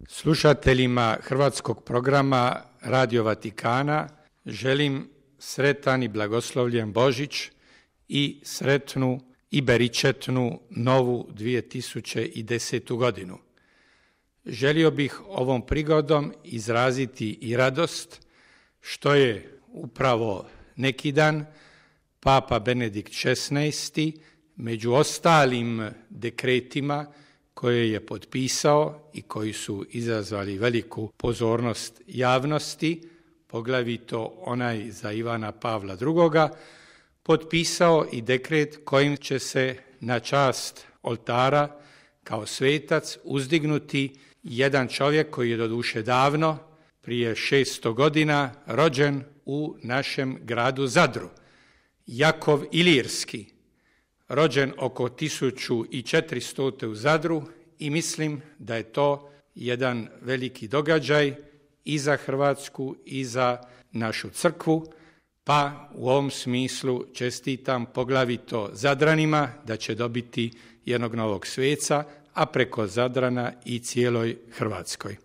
Slušateljima hrvatskog programa Radio Vatikana želim sretan i blagoslovljen Božić i sretnu i beričetnu novu 2010. godinu. Želio bih ovom prigodom izraziti i radost što je upravo neki dan Papa Benedikt XVI među ostalim dekretima koje je potpisao i koji su izazvali veliku pozornost javnosti, poglavito onaj za Ivana Pavla II, potpisao i dekret kojim će se na čast oltara kao svetac uzdignuti jedan čovjek koji je doduše davno, prije 600 godina, rođen u našem gradu Zadru, Jakov Ilirski, rođen oko 1400. u Zadru, i mislim da je to jedan veliki događaj i za Hrvatsku i za našu crkvu, pa u ovom smislu čestitam poglavito Zadranima da će dobiti jednog novog sveca, a preko Zadrana i cijeloj Hrvatskoj.